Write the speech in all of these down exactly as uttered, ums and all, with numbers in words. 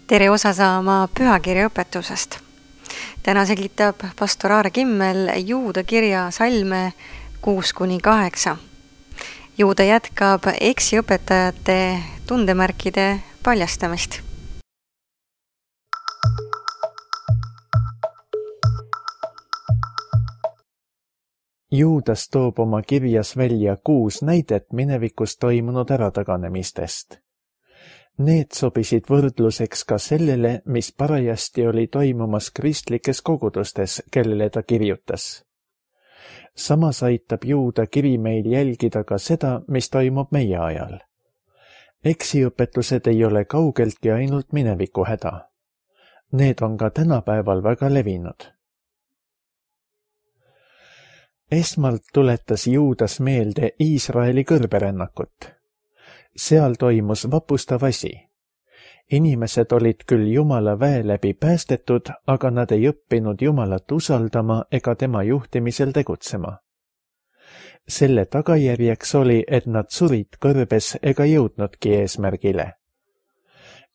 Tere osa saama pühakirja õpetusest. Täna selgitab pastor Aare Kimmel Juuda kirja salme kuus kuni kaheksa. Juuda jätkab eksiõpetajate tundemärkide paljastamist. Juudas toob oma kirjas välja kuus näidet minevikus toimunud ärataganemistest. Need sobisid võrdluseks ka sellele, mis parajasti oli toimumas kristlikes kogudustes, kellele ta kirjutas. Samas aitab Juuda kiri meil jälgida ka seda, mis toimub meie ajal. Eksiõpetused ei ole kaugeltki ainult mineviku häda. Need on ka tänapäeval väga levinud. Esmalt tuletas Juudas meelde Iisraeli kõrberännakut. Seal toimus vapustav asi. Inimesed olid küll Jumala väe läbi päästetud, aga nad ei õppinud Jumalat usaldama ega tema juhtimisel tegutsema. Selle tagajärjeks oli, et nad surid kõrbes ega jõudnudki eesmärgile.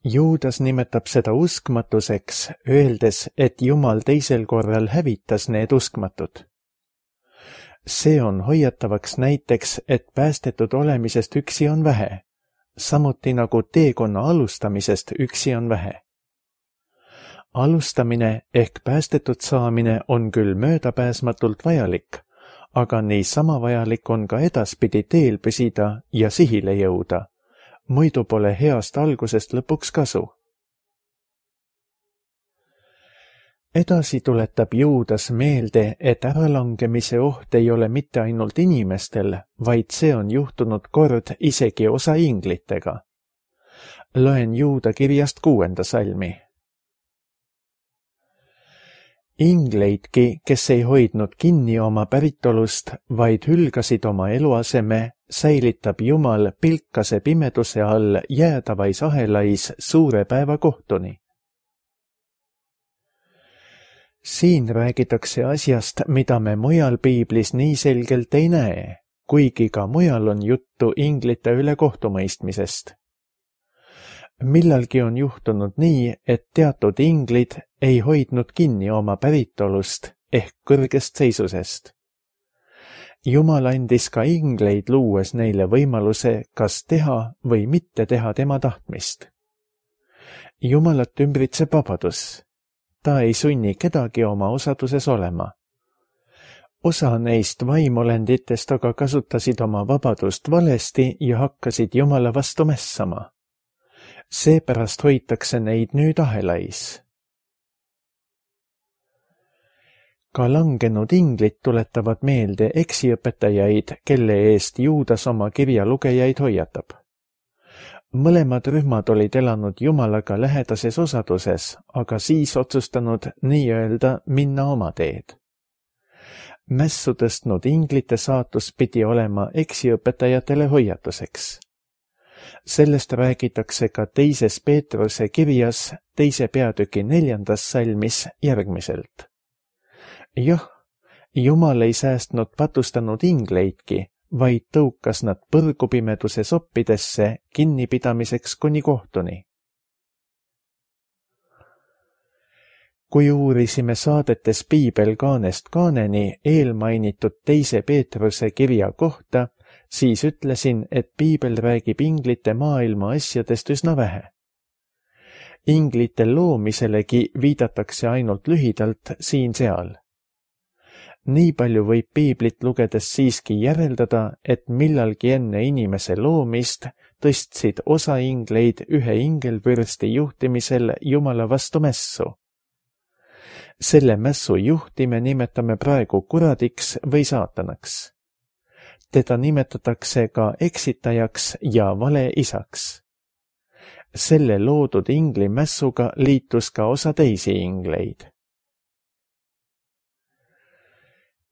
Juudas nimetab seda uskmatuseks, öeldes, et Jumal teisel korral hävitas need uskmatud. See on hoiatavaks näiteks, et päästetud olemisest üksi on vähe, samuti nagu teekonna alustamisest üksi on vähe. Alustamine ehk päästetud saamine on küll möödapääsmatult vajalik, aga niisama vajalik on ka edaspidi teel püsida ja sihile jõuda, muidu pole heast algusest lõpuks kasu. Edasi tuletab Juudas meelde, et äralangemise oht ei ole mitte ainult inimestel, vaid see on juhtunud kord isegi osa inglitega. Loen Juuda kirjast kuuenda salmi. Ingleidki, kes ei hoidnud kinni oma päritolust, vaid hülgasid oma eluaseme, säilitab Jumal pilkase pimeduse all jäädavais ahelais suure päeva kohtuni. Siin räägitakse asjast, mida me mujal piiblis nii selgelt ei näe, kuigi ka mujal on juttu inglite üle kohtumõistmisest. Millalgi on juhtunud nii, et teatud inglid ei hoidnud kinni oma päritolust ehk kõrgest seisusest. Jumal andis ka ingleid luues neile võimaluse, kas teha või mitte teha tema tahtmist. Jumalat ümbritseb vabadus. Ta ei sunni kedagi oma osaduses olema. Osa neist vaimolenditest aga kasutasid oma vabadust valesti ja hakkasid Jumala vastu mässama. Seepärast hoitakse neid nüüd ahelais. Ka langenud inglid tuletavad meelde eksiõpetajaid, kelle eest Juudas oma kirja lugejaid hoiatab. Mõlemad rühmad olid elanud Jumalaga lähedases osaduses, aga siis otsustanud nii-öelda minna oma teed. Mässu tõstnud inglite saatus pidi olema eksiõpetajatele hoiatuseks. Sellest räägitakse ka teises Peetruse kirjas, teise peatüki neljandas salmis järgmiselt. Jah, Jumal ei säästnud patustanud ingleidki, vaid tõukas nad põrgupimeduse soppidesse kinnipidamiseks kuni kohtuni. Kui uurisime saadetes Piibel kaanest kaaneni eelmainitud teise Peetruse kirja kohta, siis ütlesin, et Piibel räägib inglite maailma asjadest üsna vähe. Inglite loomiselegi viidatakse ainult lühidalt siin-seal. Nii palju võib Piiblit lugedes siiski järeldada, et millalgi enne inimese loomist tõstsid osa ingleid ühe ingelvürsti juhtimisel Jumala vastu mässu. Selle mässu juhti me nimetame praegu kuradiks või saatanaks. Teda nimetatakse ka eksitajaks ja valeisaks. Selle loodud ingli mässuga liitus ka osa teisi ingleid.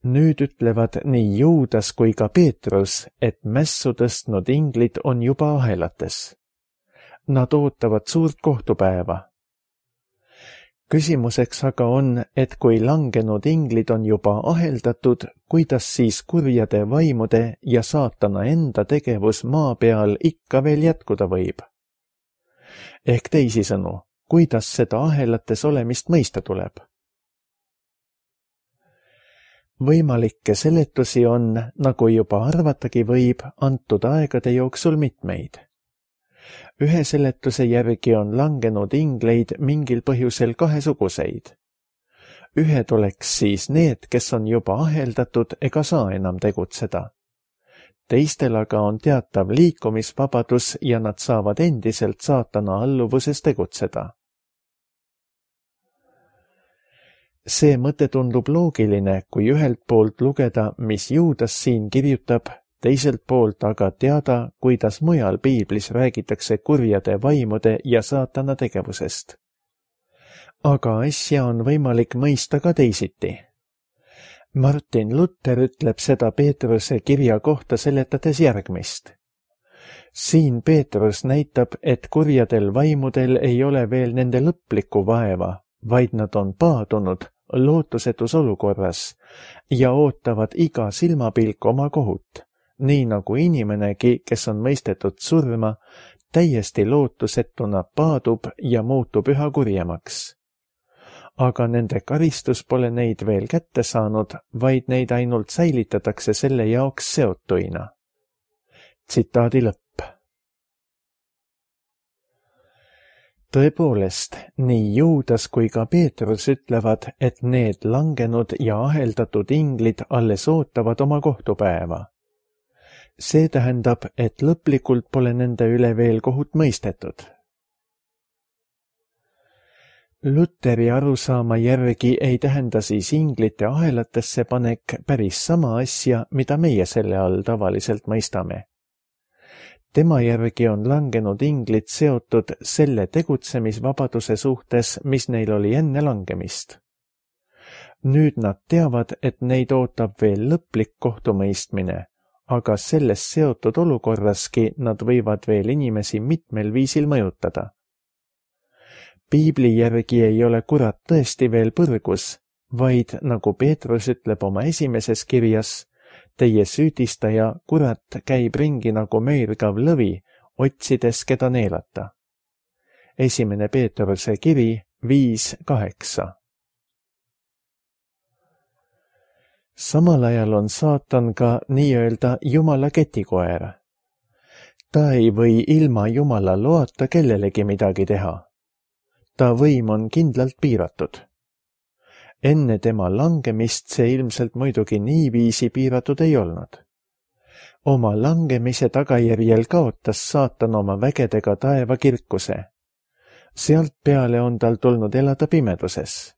Nüüd ütlevad nii Juudas kui ka Peetrus, et mässu tõstnud inglid on juba ahelates. Nad ootavad suurt kohtupäeva. Küsimuseks aga on, et kui langenud inglid on juba aheldatud, kuidas siis kurjade vaimude ja saatana enda tegevus maa peal ikka veel jätkuda võib? Ehk teisisõnu, kuidas seda ahelates olemist mõista tuleb. Võimalikke seletusi on, nagu juba arvatagi võib, antud aegade jooksul mitmeid. Ühe seletuse järgi on langenud ingleid mingil põhjusel kahesuguseid. Ühed oleks siis need, kes on juba aheldatud ega saa enam tegutseda. Teistel aga on teatav liikumisvabadus ja nad saavad endiselt saatana alluvuses tegutseda. See mõte tundub loogiline, kui ühelt poolt lugeda, mis Juudas siin kirjutab, teiselt poolt aga teada, kuidas mujal piiblis räägitakse kurjade vaimude ja saatana tegevusest. Aga asja on võimalik mõista ka teisiti. Martin Luther ütleb seda Peetruse kirja kohta seletades järgmist. Siin Peetrus näitab, et kurjadel vaimudel ei ole veel nende lõplikku vaeva, vaid nad on paadunud lootusetus olukorras ja ootavad iga silmapilk oma kohut, nii nagu inimenegi, kes on mõistetud surma, täiesti lootusetuna paadub ja muutub üha kurjemaks. Aga nende karistus pole neid veel kätte saanud, vaid neid ainult säilitatakse selle jaoks seotuina. Tsitaadi lõpp. Tõepoolest, nii Juudas kui ka Peetrus ütlevad, et need langenud ja aheldatud inglid alles ootavad oma kohtupäeva. See tähendab, et lõplikult pole nende üle veel kohut mõistetud. Lutheri arusaama järgi ei tähenda siis inglite ahelatesse panek päris sama asja, mida meie selle all tavaliselt mõistame. Tema järgi on langenud inglid seotud selle tegutsemisvabaduse suhtes, mis neil oli enne langemist. Nüüd nad teavad, et neid ootab veel lõplik kohtumõistmine, aga selles seotud olukorraski nad võivad veel inimesi mitmel viisil mõjutada. Piibli järgi ei ole kurat tõesti veel põrgus, vaid nagu Peetrus ütleb oma esimeses kirjas, teie süüdistaja, kurat, käib ringi nagu möirgav lõvi, otsides keda neelata. Esimene Peetruse kiri viis kaheksa. Samal ajal on saatan ka nii-öelda Jumala ketikoer. Ta ei või ilma Jumala loata kellelegi midagi teha. Ta võim on kindlalt piiratud. Enne tema langemist see ilmselt muidugi niiviisi piiratud ei olnud. Oma langemise tagajärjel kaotas saatan oma vägedega taeva kirkuse. Sealt peale on tal tulnud elada pimeduses.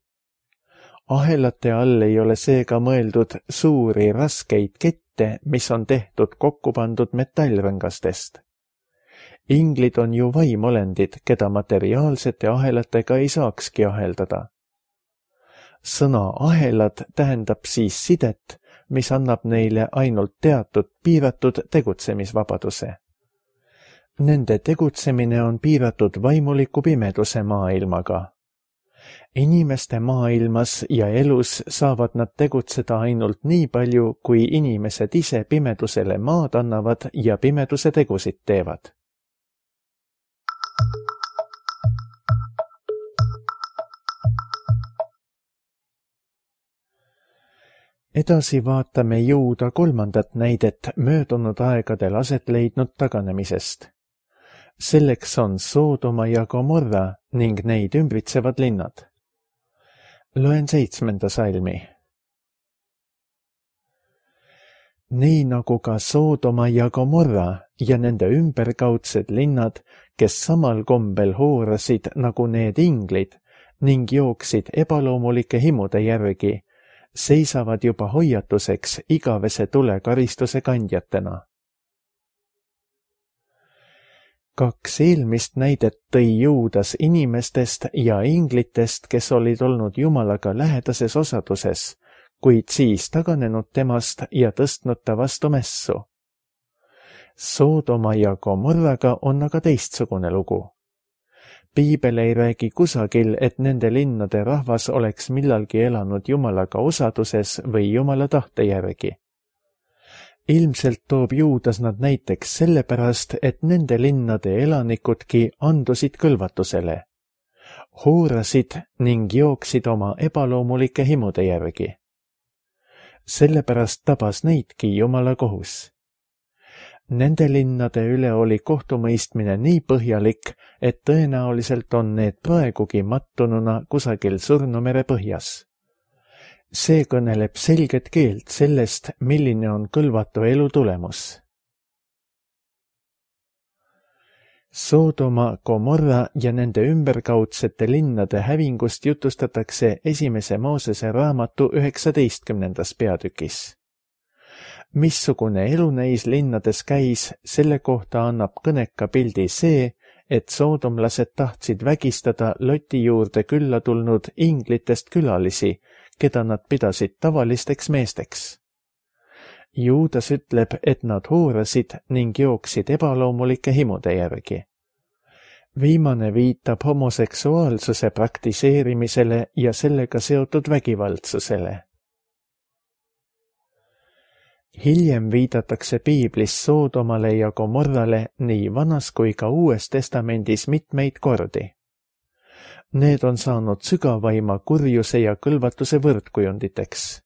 Ahelate all ei ole seega mõeldud suuri raskeid kette, mis on tehtud kokku pandud metallrõngastest. Inglid on ju vaimolendid, keda materiaalsete ahelatega ei saakski aheldada. Sõna ahelad tähendab siis sidet, mis annab neile ainult teatud piiratud tegutsemisvabaduse. Nende tegutsemine on piiratud vaimuliku pimeduse maailmaga. Inimeste maailmas ja elus saavad nad tegutseda ainult nii palju, kui inimesed ise pimedusele maad annavad ja pimeduse tegusid teevad. Edasi vaatame Juuda kolmandat näidet möödunud aegadel aset leidnud taganemisest. Selleks on Soodoma ja Gomorra ning neid ümbritsevad linnad. Loen seitsmenda salmi. Nii nagu ka Soodoma ja Gomorra ja nende ümberkaudsed linnad, kes samal kombel hoorasid nagu need inglid ning jooksid ebaloomulike himude järgi, seisavad juba hoiatuseks igavese tulekaristuse kandjatena. Kaks eelmist näidet tõi Juudas inimestest ja inglitest, kes olid olnud Jumalaga lähedases osaduses, kuid siis taganenud temast ja tõstnud ta vastu mässu. Soodoma ja Gomorraga on aga teistsugune lugu. Piibel ei räägi kusagil, et nende linnade rahvas oleks millalgi elanud Jumalaga osaduses või Jumala tahte järgi. Ilmselt toob Juudas nad näiteks sellepärast, et nende linnade elanikudki andusid kõlvatusele. hoorasid ning jooksid oma ebaloomulike himude järgi. Sellepärast tabas neidki Jumala kohus. Nende linnade üle oli kohtumõistmine nii põhjalik, et tõenäoliselt on need praegugi mattununa kusagil Surnumere põhjas. See kõneleb selget keelt sellest, milline on kõlvatu elu tulemus. Soodoma, Gomorra ja nende ümberkaudsete linnade hävingust jutustatakse esimese Moosese raamatu üheksateistkümnendas peatükis. Missugune elu neis linnades käis, selle kohta annab kõneka pildi see, et soodomlased tahtsid vägistada Loti juurde külla tulnud inglitest külalisi, keda nad pidasid tavalisteks meesteks. Juudas ütleb, et nad hoorasid ning jooksid ebaloomulike himude järgi. Viimane viitab homoseksuaalsuse praktiseerimisele ja sellega seotud vägivaldsusele. Hiljem viidatakse piiblis Soodomale ja Gomorrale nii Vanas kui ka Uues testamendis mitmeid kordi. Need on saanud sügavaima kurjuse ja kõlvatuse võrdkujunditeks.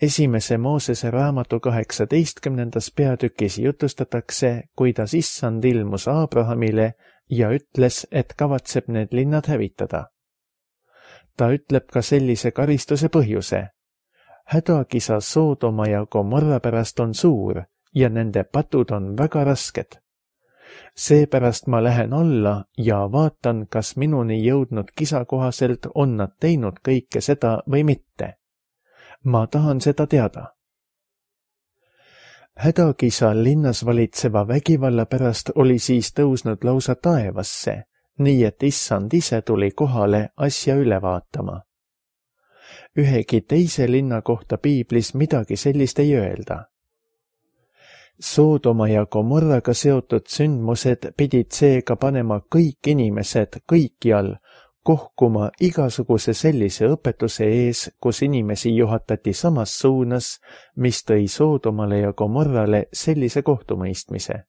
Esimese Moosese raamatu kaheksateistkümnendas peatükis jutustatakse, kuidas Issand ilmus Abrahamile ja ütles, et kavatseb need linnad hävitada. Ta ütleb ka sellise karistuse põhjuse. Hädakisa Soodoma ja Gomorra pärast on suur ja nende patud on väga rasked. Seepärast ma lähen alla ja vaatan, kas minuni jõudnud kisa kohaselt on nad teinud kõike seda või mitte. Ma tahan seda teada. Hädakisa linnas valitseva vägivalla pärast oli siis tõusnud lausa taevasse, nii et Issand ise tuli kohale asja üle vaatama. Ühegi teise linna kohta piiblis midagi sellist ei öelda. Soodoma ja Gomorraga seotud sündmused pidid seega panema kõik inimesed kõikjal kohkuma igasuguse sellise õpetuse ees, kus inimesi juhatati samas suunas, mis tõi Soodomale ja Gomorrale sellise kohtumõistmise.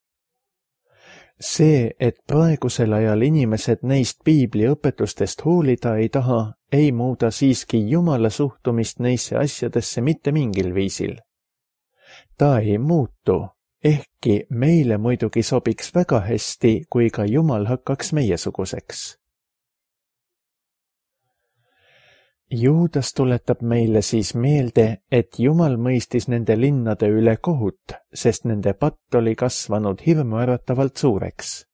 See, et praegusel ajal inimesed neist piibli õpetustest hoolida ei taha, ei muuda siiski Jumala suhtumist neisse asjadesse mitte mingil viisil. Ta ei muutu, ehkki meile muidugi sobiks väga hästi, kui ka Jumal hakkaks meiesuguseks. Juudas tuletab meile siis meelde, et Jumal mõistis nende linnade üle kohut, sest nende patt oli kasvanud hirmuäratavalt suureks.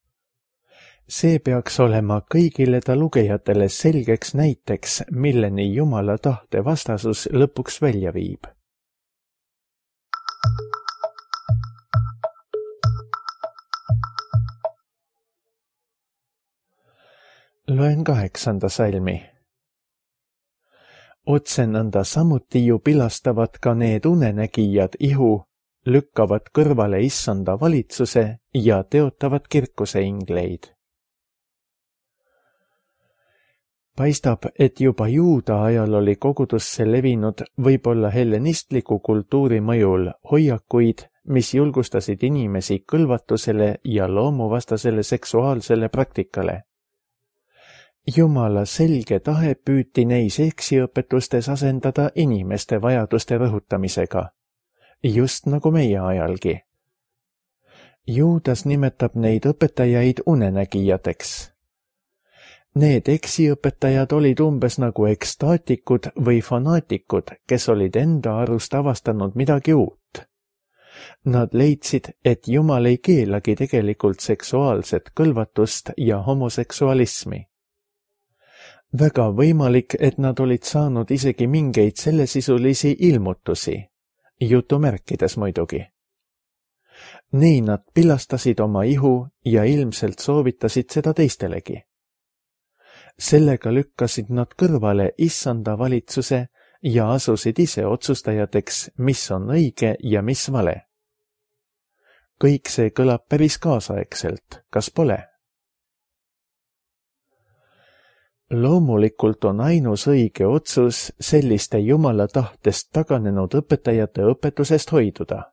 See peaks olema kõigile ta lugejatele selgeks näiteks, milleni Jumala tahte vastasus lõpuks välja viib. Loen kaheksanda salmi. Otsenõnda samuti ju pilastavad ka need unenägijad ihu, lükkavad kõrvale Issanda valitsuse ja teotavad kirkuse ingleid. Paistab, et juba juuda ajal oli kogudusse levinud võib-olla hellenistliku kultuuri mõjul hoiakuid, mis julgustasid inimesi kõlvatusele ja loomuvastasele seksuaalsele praktikale. Jumala selge tahe püüti neis eksiõpetustes asendada inimeste vajaduste rõhutamisega, just nagu meie ajalgi. Juudas nimetab neid õpetajaid unenägijateks. Need eksiõpetajad olid umbes nagu ekstaatikud või fanaatikud, kes olid enda arust avastanud midagi uut. Nad leidsid, et Jumal ei keelagi tegelikult seksuaalset kõlvatust ja homoseksualismi. Väga võimalik, et nad olid saanud isegi mingeid sellesisulisi ilmutusi, jutumärkides muidugi. Nii nad pilastasid oma ihu ja ilmselt soovitasid seda teistelegi. Sellega lükkasid nad kõrvale Issanda valitsuse ja asusid ise otsustajateks, mis on õige ja mis vale. Kõik see kõlab päris kaasaegselt, kas pole? Loomulikult on ainus õige otsus selliste Jumala tahtest taganenud õpetajate õpetusest hoiduda.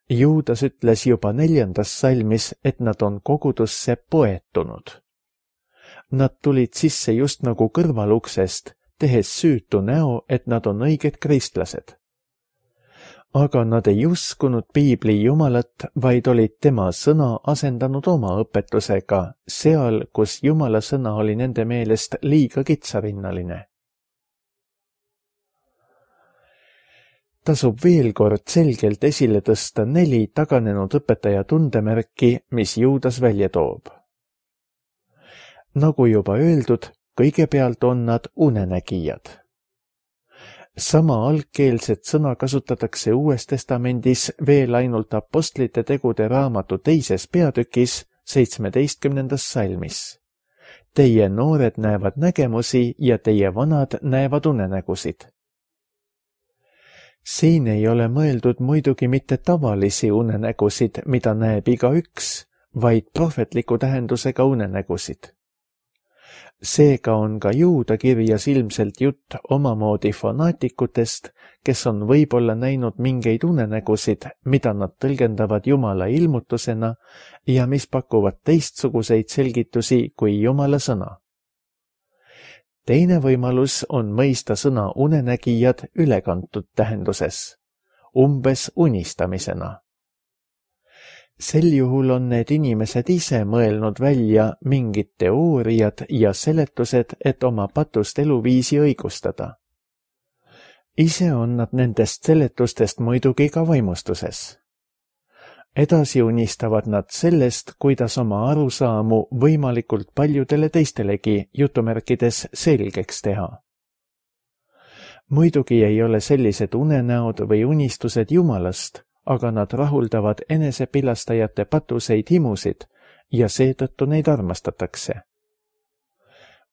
Juudas ütles juba neljandas salmis, et nad on kogudusse poetunud. Nad tulid sisse just nagu kõrvaluksest, tehes süütu näo, et nad on õiged kristlased. Aga nad ei uskunud piibli Jumalat, vaid olid tema sõna asendanud oma õpetusega, seal, kus Jumala sõna oli nende meelest liiga kitsarinnaline. Tasub veel kord selgelt esile tõsta neli taganenud õpetaja tundemärki, mis Juudas välja toob. Nagu juba öeldud, kõigepealt on nad unenägijad. Sama algkeelset sõna kasutatakse Uues Testamendis veel ainult Apostlite tegude raamatu teises peatükis seitsmeteistkümnendas salmis. Teie noored näevad nägemusi ja teie vanad näevad unenägusid. Siin ei ole mõeldud muidugi mitte tavalisi unenägusid, mida näeb igaüks, vaid prohvetliku tähendusega unenägusid. Seega on ka Juuda kirjas ilmselt jutt omamoodi fanaatikutest, kes on võib-olla näinud mingeid unenägusid, mida nad tõlgendavad Jumala ilmutusena ja mis pakuvad teistsuguseid selgitusi kui Jumala sõna. Teine võimalus on mõista sõna unenägijad ülekantud tähenduses, umbes unistamisena. Sel juhul on need inimesed ise mõelnud välja mingid teooriad ja seletused, et oma patust eluviisi õigustada. Ise on nad nendest seletustest muidugi ka vaimustuses. Edasi unistavad nad sellest, kuidas oma arusaamu võimalikult paljudele teistelegi jutumärkides selgeks teha. Muidugi ei ole sellised unenäod või unistused Jumalast, aga nad rahuldavad enesepilastajate patuseid himusid ja seetõttu neid armastatakse.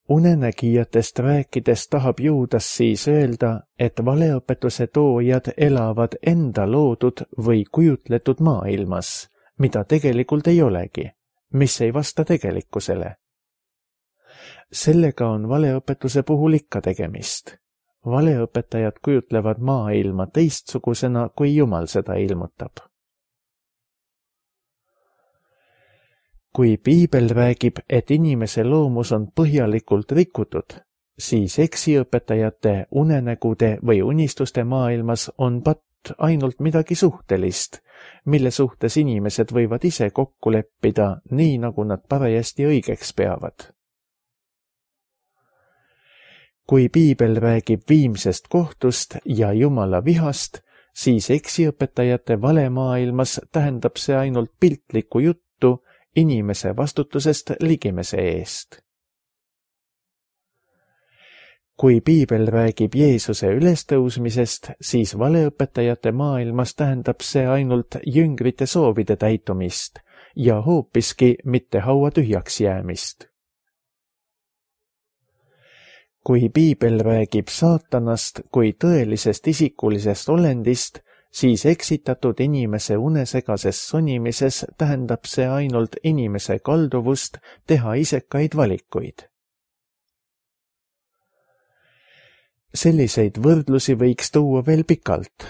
Unenägijatest rääkides tahab Juudas siis öelda, et valeõpetuse toojad elavad enda loodud või kujutletud maailmas, mida tegelikult ei olegi, mis ei vasta tegelikkusele. Sellega on valeõpetuse puhul ikka tegemist. Valeõpetajad kujutlevad maailma teistsugusena, kui Jumal seda ilmutab. Kui piibel räägib, et inimese loomus on põhjalikult rikutud, siis eksiõpetajate unenägude või unistuste maailmas on patt ainult midagi suhtelist, mille suhtes inimesed võivad ise kokku leppida, nii nagu nad parajasti õigeks peavad. Kui piibel räägib viimsest kohtust ja Jumala vihast, siis eksiõpetajate valemaailmas tähendab see ainult piltlikku juttu inimese vastutusest ligimese eest. Kui piibel räägib Jeesuse ülestõusmisest, siis valeõpetajate maailmas tähendab see ainult jüngrite soovide täitumist ja hoopiski mitte haua tühjaks jäämist. Kui piibel räägib saatanast kui tõelisest isikulisest olendist, siis eksitatud inimese unesegases sonimises tähendab see ainult inimese kalduvust teha isekaid valikuid. Selliseid võrdlusi võiks tuua veel pikalt.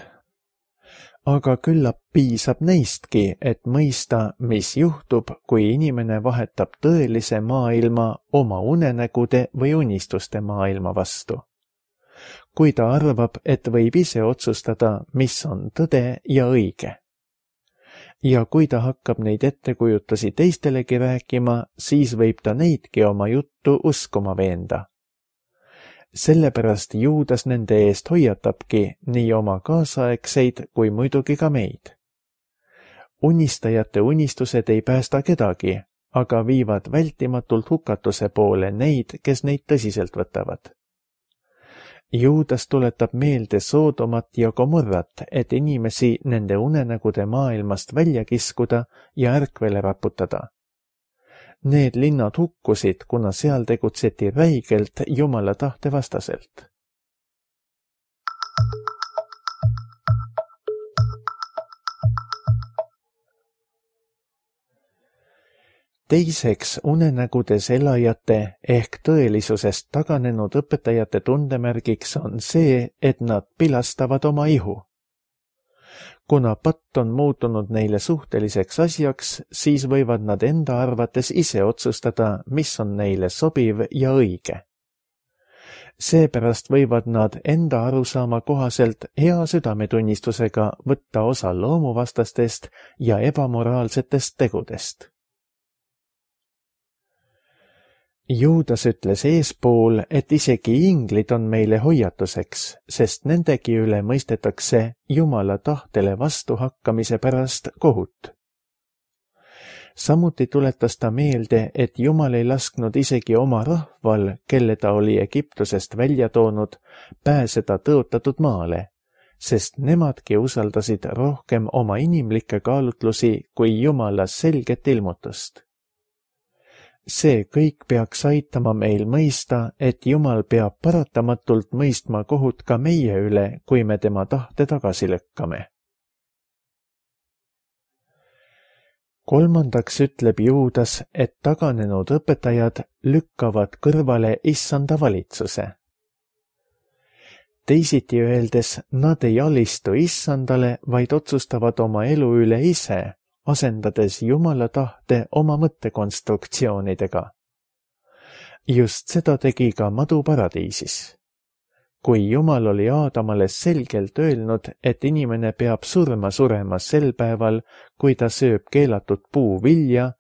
Aga küllap piisab neistki, et mõista, mis juhtub, kui inimene vahetab tõelise maailma oma unenägude või unistuste maailma vastu. Kui ta arvab, et võib ise otsustada, mis on tõde ja õige. Ja kui ta hakkab neid ettekujutusi teistelegi rääkima, siis võib ta neidki oma juttu uskuma veenda. Sellepärast Juudas nende eest hoiatabki nii oma kaasaegseid kui muidugi ka meid. Unistajate unistused ei päästa kedagi, aga viivad vältimatult hukatuse poole neid, kes neid tõsiselt võtavad. Juudas tuletab meelde Soodomat ja Gomorrat, et inimesi nende unenägude maailmast välja kiskuda ja ärkvele raputada. Need linnad hukkusid, kuna seal tegutseti räigelt Jumala tahte vastaselt. Teiseks unenägudes elajate ehk tõelisusest taganenud õpetajate tundemärgiks on see, et nad pilastavad oma ihu. kuna patt on muutunud neile suhteliseks asjaks, siis võivad nad enda arvates ise otsustada, mis on neile sobiv ja õige. Seepärast võivad nad enda arusaama kohaselt hea südametunnistusega võtta osa loomuvastastest ja ebamoraalsetest tegudest. Juudas ütles eespool, et isegi inglid on meile hoiatuseks, sest nendegi üle mõistetakse Jumala tahtele vastuhakkamise pärast kohut. Samuti tuletas ta meelde, et Jumal ei lasknud isegi oma rahval, kelle ta oli Egiptusest välja toonud, pääseda tõotatud maale, sest nemadki usaldasid rohkem oma inimlikke kaalutlusi kui Jumala selget ilmutust. See kõik peaks aitama meil mõista, et Jumal peab paratamatult mõistma kohut ka meie üle, kui me tema tahte tagasi lükkame. Kolmandaks ütleb Juudas, et taganenud õpetajad lükkavad kõrvale issanda valitsuse. Teisiti öeldes, nad ei alistu issandale, vaid otsustavad oma elu üle ise, asendades Jumala tahte oma mõttekonstruktsioonidega. Just seda tegi ka madu paradiisis. Kui Jumal oli Aadamale selgelt öelnud, et inimene peab surma surema sel päeval, kui ta sööb keelatud puuvilja,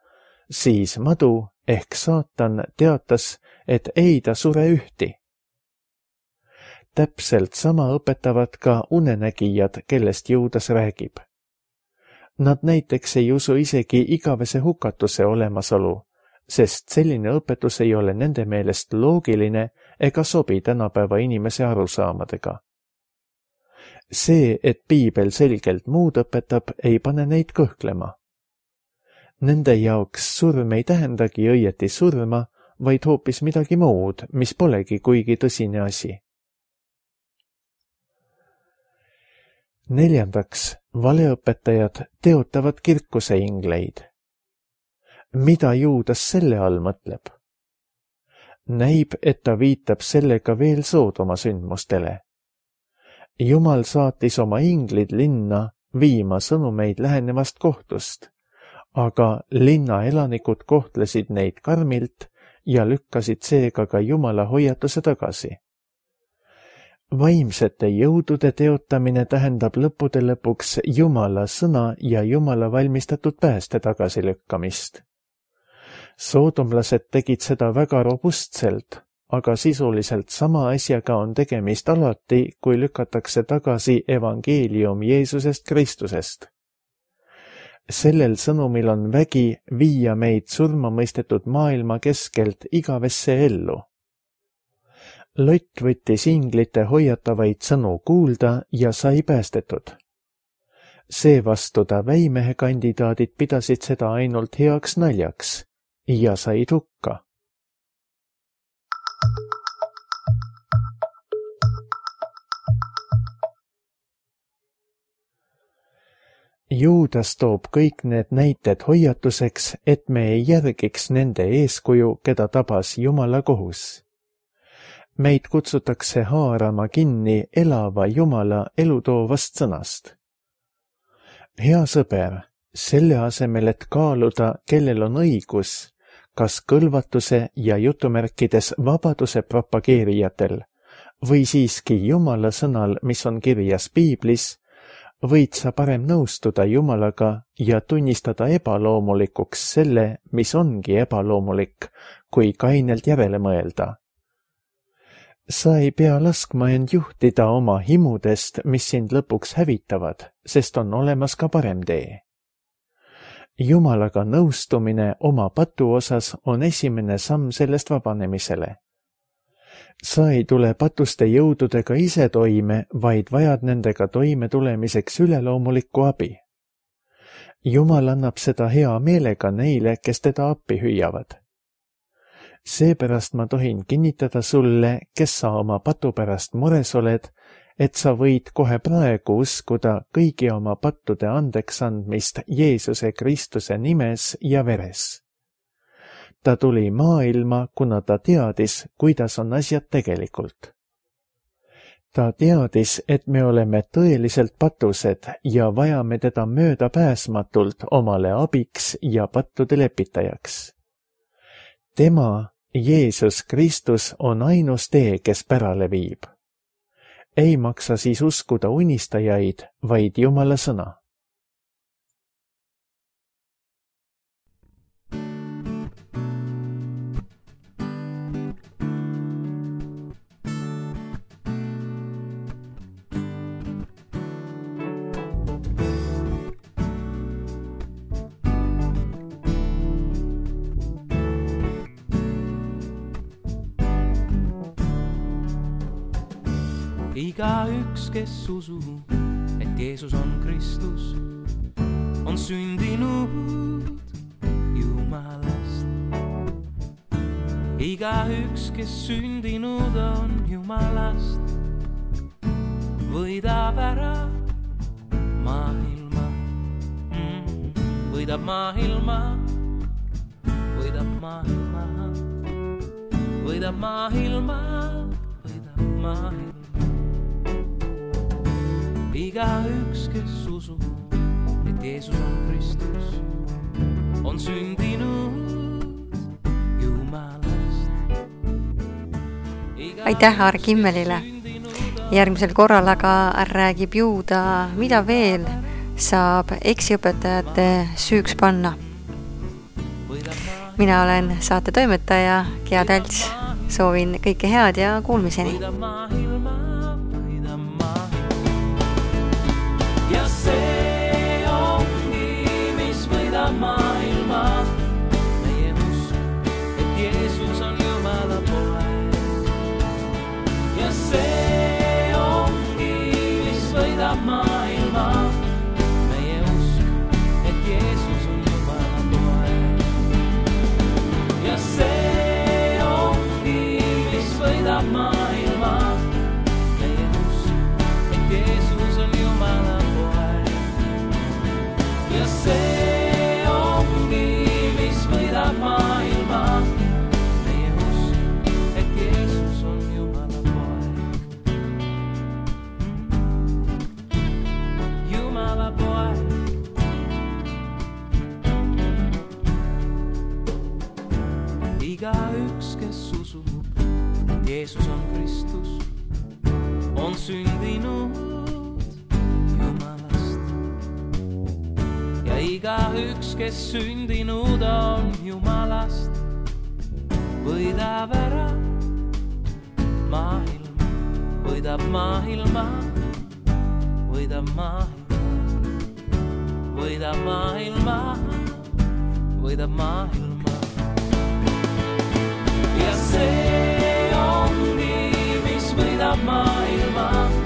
siis madu ehk saatan teatas, et ei ta sure ühti. Täpselt sama õpetavad ka unenägijad, kellest Juudas räägib. Nad näiteks ei usu isegi igavese hukatuse olemasolu, sest selline õpetus ei ole nende meelest loogiline ega sobi tänapäeva inimese arusaamadega. See, et piibel selgelt muud õpetab, ei pane neid kõhklema. Nende jaoks surm ei tähendagi õieti surma, vaid hoopis midagi muud, mis polegi kuigi tõsine asi. Neljandaks, valeõpetajad teotavad kirkuse ingleid. Mida Juudas selle all mõtleb? Näib, et ta viitab sellega veel Soodoma sündmustele. Jumal saatis oma inglid linna viima sõnumeid lähenevast kohtust, aga linna elanikud kohtlesid neid karmilt ja lükkasid seega ka Jumala hoiatuse tagasi. Vaimsete jõudude teotamine tähendab lõppude lõpuks Jumala sõna ja Jumala valmistatud pääste tagasilükkamist. Soodomlased tegid seda väga robustselt, aga sisuliselt sama asjaga on tegemist alati, kui lükatakse tagasi evangeelium Jeesusest Kristusest. Sellel sõnumil on vägi viia meid surma mõistetud maailma keskelt igavesse ellu. Lott võttis inglite hoiatavaid sõnu kuulda ja sai päästetud. Seevastu ta väimehe kandidaadid pidasid seda ainult heaks naljaks ja said hukka. Juudas toob kõik need näited hoiatuseks, et me ei järgiks nende eeskuju, keda tabas Jumala kohus. Meid kutsutakse haarama kinni elava Jumala elutoovast sõnast. Hea sõber, selle asemel, et kaaluda, kellel on õigus, kas kõlvatuse ja jutumärkides vabaduse propageerijatel või siiski Jumala sõnal, mis on kirjas piiblis, võid sa parem nõustuda Jumalaga ja tunnistada ebaloomulikuks selle, mis ongi ebaloomulik, kui kainelt järele mõelda. Sa ei pea laskma end juhtida oma himudest, mis sind lõpuks hävitavad, sest on olemas ka parem tee. Jumalaga nõustumine oma patu osas on esimene samm sellest vabanemisele. Sa ei tule patuste jõududega ise toime, vaid vajad nendega toime tulemiseks üleloomulikku abi. Jumal annab seda hea meelega neile, kes teda appi hüüavad. Seepärast ma tohin kinnitada sulle, kes sa oma patu pärast mures oled, et sa võid kohe praegu uskuda kõigi oma pattude andeks andmist Jeesuse Kristuse nimes ja veres. Ta tuli maailma, kuna ta teadis, kuidas on asjad tegelikult. Ta teadis, et me oleme tõeliselt patused ja vajame teda möödapääsmatult omale abiks ja pattude lepitajaks. Tema, Jeesus Kristus, on ainus tee, kes pärale viib. Ei maksa siis uskuda unistajaid, vaid Jumala sõna. Igaüks, kes usub, et Jeesus on Kristus, on sündinud Jumalast. Igaüks, kes sündinud on Jumalast, võidab ära maailma, mm, võidab maailma, võidab maailma, võidab maailma, võidab maailma. Igaüks, kes usub, et Jeesus on Kristus, on sündinud Jumalast. Aitäh Aar Kimmelile. Järgmisel korral aga räägib Juuda, mida veel saab eksiõpetajate süüks panna. Mina olen saate toimetaja Gea Talts. Soovin kõike head ja kuulmiseni. Ja see ongi, mis võidab maailma, meie usk, et Jeesus on Jumala poeg. Ja see ongi, mis võidab maailma, meie usk, et Jeesus on Jumala poeg. Ja see ongi, mis võidab maailma, meie usk, et Jeesus on Jumala poeg. Ja see ongi, mis võidab maailma, meie usk, et Jeesus on Jumala poeg. Jumala poeg. Igaüks, kes usub, et Jeesus on Kristus, on sündinud ja igaüks, kes sündinud on Jumalast, võidab ära maailma, võidab maailma, võidab maailma, võidab maailma, võidab maailma. Ja see ongi, mis võidab maailma.